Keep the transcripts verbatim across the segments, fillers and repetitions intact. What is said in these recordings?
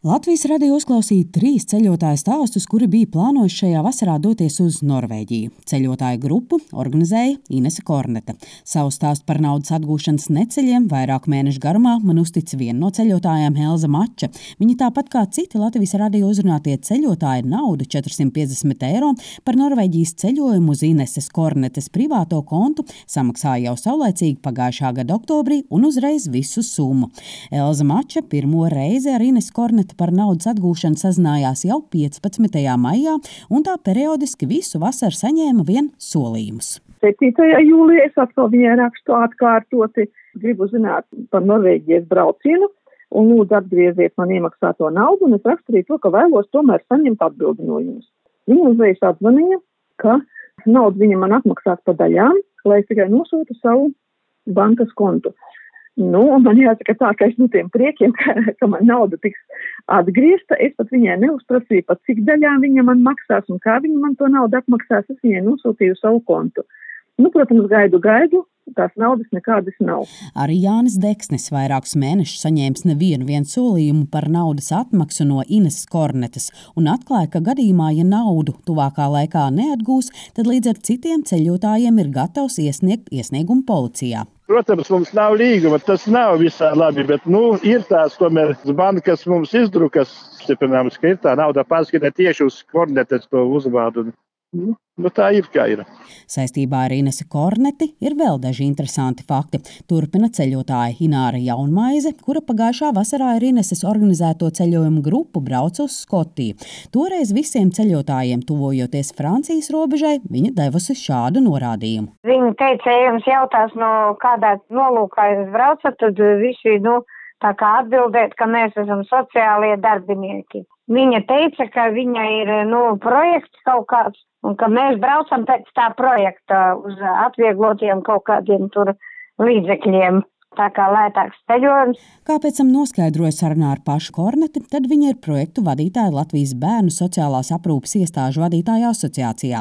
Latvijas radio uzklausīja trīs ceļotāju stāstus, kuri bija plānojuši šajā vasarā doties uz Norvēģiju. Ceļotāju grupu organizēja Inese Kornete. Savu stāstu par naudas atgūšanas neceļiem vairāku mēnešu garumā man uztica viena no ceļotājām Elza Mača. Viņa tāpat kā citi Latvijas radio uzrunātie ceļotāji naudu četrsimt piecdesmit eiro par Norvēģijas ceļojumu uz Ineses Kornetes privāto kontu samaksāja jau saulēcīgi pagājušā gada oktobrī un uzreiz visu summu. Elza Mača pirmo reizi ar Ineses Korneti par naudas atgūšanu sazinājās jau piecpadsmitajā maijā, un tā periodiski visu vasaru saņēma vien solījumus. septītajā jūlijā es atkal viņai rakstu atkārtoti, gribu zināt par Norvēģijas braucienu, un lūdzu atgrieziet man iemaksāto naudu, un es rakstu arī to, ka vēlos tomēr saņemt atbildi no jums. Viņa uzreiz atzvanīja, ka naudu viņa man atmaksās pa daļām, lai es tikai nosūtu savu bankas kontu. Nu, man jāsaka tā, ka es no tiem priekiem, ka, ka man nauda tiks atgriezta, es pat viņai neuzprasīju, pat cik daļā viņa man maksās un kā viņa man to naudu atmaksās, es viņai nosūtīju savu kontu. Nu, protams, gaidu, gaidu, tās naudas nekādas nav. Arī Jānis Deksnis vairākus mēnešus saņēmis nevienu vien solījumu par naudas atmaksu no Ineses Kornetes un atklāja, ka gadījumā, ja naudu tuvākā laikā neatgūs, tad līdz ar citiem ceļotājiem ir gatavs iesniegt iesniegumu policijā. Protams, mums nav līguma, tas nav visā labi, bet, nu, ir tās, tomēr, bankas mums izdrukas, stiprināms, ka ir tā nauda pārskatē tieši uz Kornetes to uzvārdu. Nu, nu, tā ir, kā ir. Saistībā ar Inesi Korneti ir vēl daži interesanti fakti. Turpina ceļotāja Ināra Jaunmaize, kura pagājušā vasarā ar Ineses organizēto ceļojumu grupu brauca uz Skotiju. Toreiz visiem ceļotājiem, tuvojoties Francijas robežai, viņa devusi šādu norādījumu. Viņa teica, ja jums jautās, no kādā nolūkā jūs braucat, tad visi, nu, tā kā atbildēt, ka mēs esam sociālie darbinieki. Viņa teica, ka viņa ir, nu, projekts kaut kāds, un ka mēs braucam pēc tā projekta uz atvieglotiem kaut kādiem tur līdzekļiem. Tā kā lētāks ceļojums. Kā pēc tam noskaidroja sarunā ar pašu Korneti, tad viņa ir projektu vadītāja Latvijas bērnu sociālās aprūpes iestāžu vadītāja asociācijā.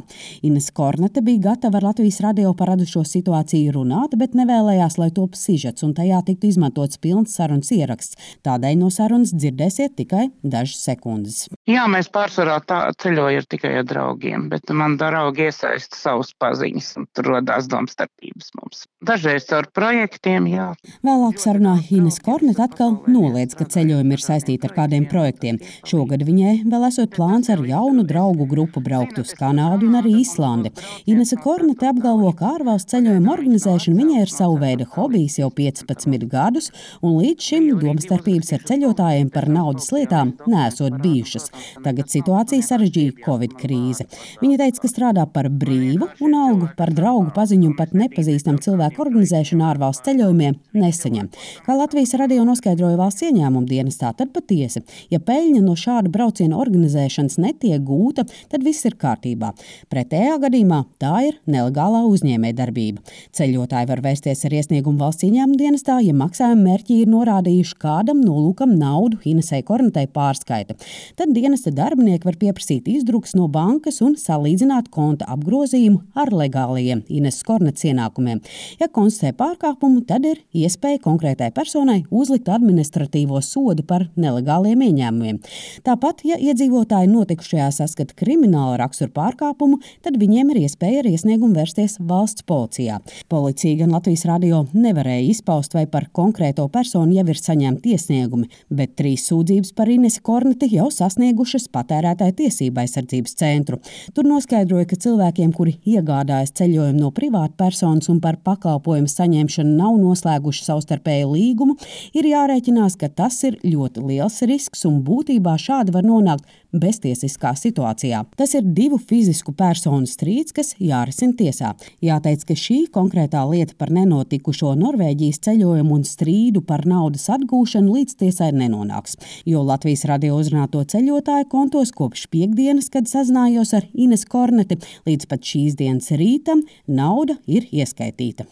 Inese Kornete bija gatava ar Latvijas radio par radušo situāciju runāt, bet nevēlējās, lai top sižets un tajā tiktu izmantots pilns sarunas ieraksts. Tādēļ no sarunas dzirdēsiet tikai dažas sekundes. Jā, mēs pārsvarā tā ceļoju tikai ar draugiem, bet man draugi iesaista savus paziņas un tur rodās domstarpības mums. Dažreiz ar projektiem, jā. Vēlāk sarunā Inese Kornete atkal noliedz, ka ceļojumi ir saistīti ar kādiem projektiem. Šogad viņai vēl esot plāns ar jaunu draugu grupu braukt uz Kanādu un arī Islandi. Inese Kornete apgalvo, ka ārvalstu ceļojumu organizēšana viņai ir savu veidu hobijs jau piecpadsmit gadus, un līdz šim domstarpības ar ceļotājiem par naudas lietām neesot bijušas. Tagad situācija sarežģīja Covid krīze. Viņa teica, ka strādā par brīvu un algu par draugu paziņu un pat nepazīstam cilvēku organizēšanu ārvalstu ceļojumiem nesaņem. Kā Latvijas radio noskaidroja valsts ieņēmuma dienestā, tad patiesi, ja peļņa no šāda brauciena organizēšanas netiek gūta, tad viss ir kārtībā. Pretējā gadījumā tā ir nelegālā uzņēmējdarbība. Ceļotāji var vērsties ar iesniegumu valsts ieņēmuma dienestā, ja maksājuma mērķi ir norādījuši kādam nolūkam naudu Inesei Kornetei pārskaita. Tad dienesta darbinieki var pieprasīt izdrukas no bankas un salīdzināt konta apgrozījumu ar legālajiem Ineses Kornetes ienākumiem. Ja konstatē pārkāpumu, tad ir iespēja konkrētai personai uzlikt administratīvo sodu par nelegāliem ieņēmumiem. Tāpat, ja iedzīvotāji notikušajā saskata krimināla rakstura pārkāpumu, tad viņiem ir iespēja ar iesniegumu vērsties valsts policijā. Policija gan Latvijas radio nevarēja izpaust, vai par konkrēto personu jau ir saņemti iesniegumi, bet trīs sūdzības par Inesi Korneti jau sasniegušas patērētāju tiesību aizsardzības centru. Tur noskaidroja, ka cilvēkiem, kuri iegādājas ceļojumu no privāta personas un par pakalpojumu saņemšanu nav noslēguši savstarpēju līgumu, ir jārēķinās, ka tas ir ļoti liels risks un būtībā šādi var nonākt beztiesiskā situācijā. Tas ir divu fizisku personu strīds, kas jārisina tiesā. Jāteic, ka šī konkrētā lieta par nenotikušo Norvēģijas ceļojumu un strīdu par naudas atgūšanu līdz tiesai nenonāks, jo Latvijas radio uzrunāto ceļotāju kontos kopš piekdienas, kad sazinājos ar Inesi Korneti, līdz pat šīs dienas rītam nauda ir ieskaitīta.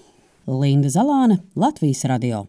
Linda Zalāne, Latvijas radio.